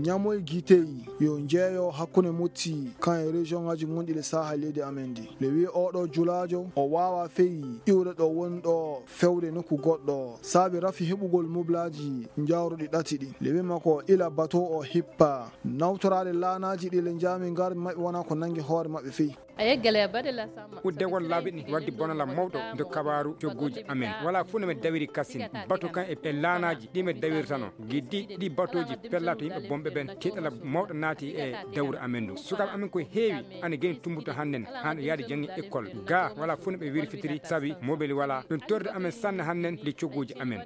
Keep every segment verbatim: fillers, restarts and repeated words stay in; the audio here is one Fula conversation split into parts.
Ñamoy gitey yo jeeyo hakkunde Motti kan e région ngaji gonɗi le Sahel leydi amen ndi. Le wi oɗo julaajo o waawa feyi iwde ɗo woni ɗo fewde nokku goɗɗo, saabi rafi heɓugol mublaaji njawruɗi ɗati ɗi. Le wi makko ila bato o hippa nawtoraade laanaaji ɗi le njaami ngar maɓɓe wona ko nangi hoore maɓɓe feyi. A yeggale a baɗe la sama. Udde won laabi ɗi waddi bonala mawɗo nde kabaaru cogguuji amen. Wala fuu no mi dawiri kasin. Batu kan e, e laanaaji ɗi mi dawirtano. Giddi ɗi batuuji pella to yimɓe bomɓe ɓen tiiɗala mawɗo naati e dawru amen ndu. Sukaaɓe amen ko heewi ana geni tumbuto hannden, hano yaade janngi école. Ga wala fuu no ɓe wirfitiri sabi mobile wala. Ɗum torri amen sanne hannden ndi cogguuji amen.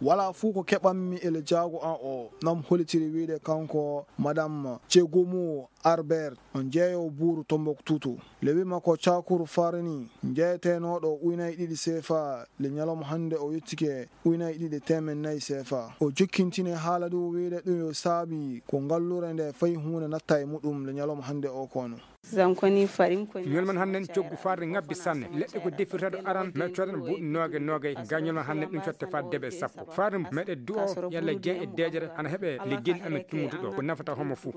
Wala fuu ko keɓanmi e le jaago an o, nam holitiri wiide kanko Madame Cegumu Albert, on jeeyo buuru Tombouctou. Le wi makko cakuru farani jeeyetenooɗo uynay ɗiɗi seefa, le ñalawma hannde o yettike uynay ɗiɗi teemen nayi seefa. O jokkintini haala ndu wiide ɗum yo saabi ko ngallure nde fayi huunde natta e muɗum le ñalawma hannde o kono. Ñol man hannden coggu farde ngabbi sanne. Leɗɗe ko defirtaɗo aran, mi codana buuɗi noogay noogay, ga ñol man hannden ɗum cotte faa debe sappo. Farde meɗe du'o yalla jeeya e deejere ana heɓe le geni amen tummutuɗo, ko nafata homo fuu.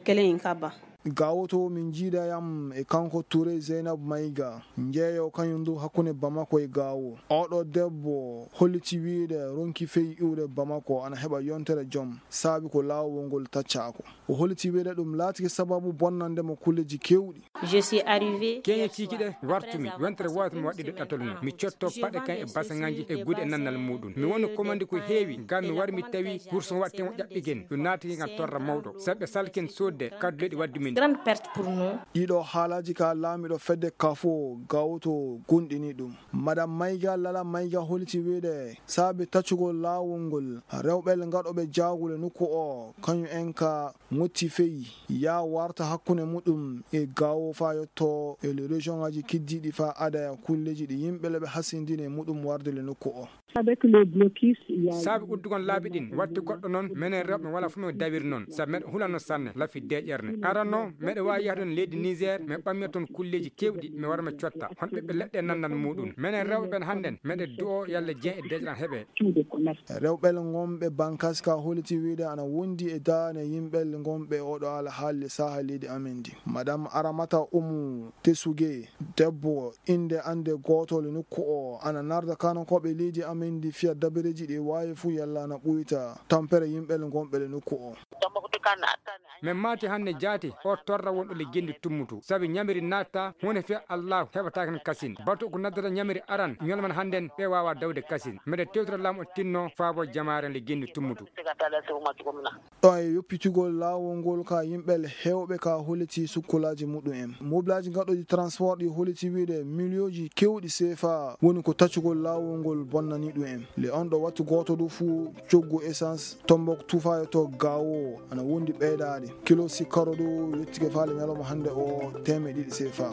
Kelen in kaba. Gawoto min jiida yam e kanko Touré Zeynab Maïga, jeeyo kañum ndu hakkunde Bamako e Gawo. Oɗo debbo holliti wiide ronki feyi iwde Bamako ana heɓa yontere jom, saabi ko laawol ngol taccaako. O holliti wiide ɗum laatike sababu bonnande mo kulleji kewɗi. Je suis arrivé. Keñe ciiki ɗe wartumi, wentere wootere mi waɗɗiɗo ɗatal mum. Mi cotto paɗe kan e basaŋaaji e gude e nannal muɗum. Mi woni komandi ko heewi, ngam mi wari mi tawi kurson waɗte mo ƴaɓɓigen. Ɗum naatike ngam torra mawɗo. Sabi ɓe salken soodde kadduleɗi waddu min. Grande perte pour nous. Ɗiɗo haalaaji ka laamiɗo fedde kafo gawoto gonɗini ɗum. Madame Maïga Lala Maïga holliti wiide saabi taccugol laawol ngol rewɓe ngaɗooɓe jaagule nokku o, kañum en ka ŋotti feyi, yaa warta hakkunde muɗum e Gawo faa yotto e le région ngaji kiddiiɗi faa adaya kulleji ɗi yimɓe le ɓe hasindini e muɗum warde le nokku o. Avec le blocus, il y a saabi uddugol laabi ɗin, waɗti goɗɗo noon, menen rewɓe wala fuu men dawiri noon, sabi meɗen hulano sanne, lafi deeƴerne. Aran noon, meɗen waawi yahde on leydi Niger, mi ɓammi toon kulleeji keewɗi, mi wara mi cotta. Hon ɓiɓɓe leɗɗe nanndan muɗum. Menen rewɓe ɓen hannden, meɗen du'o yalla jeeya e deeƴre an heɓe. Rewɓe le ngonɓe Bankaska holliti wiide ana wondi e daane yimɓe le ngonɓe oɗo alhaali le saaha leydi amen ndi. Madame Aramata Umu Tesuge, debbo innde annde gootol e nokku o, ana narda kaanankooɓe leydi amen ndi fiya dabareeji ɗi waawi fuu yalla ana ɓuyta tampere yimɓe le ngonɓe le nokku o. Min maati hannde jaati, o torra wonɗo le genndi tummutu. Sabi ñamiri naatta, huunde fiya Allaahu heɓataake hen kasin. Batu ko naddata ñamiri aran, ñolman hannden ɓe waawa dawde kasin. Mbeɗa tewtira laamu o tinno faabo jamaare le genndi tummutu. Ɗo e yoppitugol laawol ngol ka yimɓe le heewɓe ka holliti sukkolaaji muɗum en. Mobilaaji gaɗooji transport ɗi holliti wiide miliyooji kewɗi seefa woni ko taccugol laawol ngol bonnani ɗum en. Le on ɗo wattu gooto du fuu coggu essence Tombouctou faa yotto Gawo ana wondi ɓeydaade. Kilo sikkaro du yettike faale ñalawma hannde o teemeɗe ɗiɗi seefa.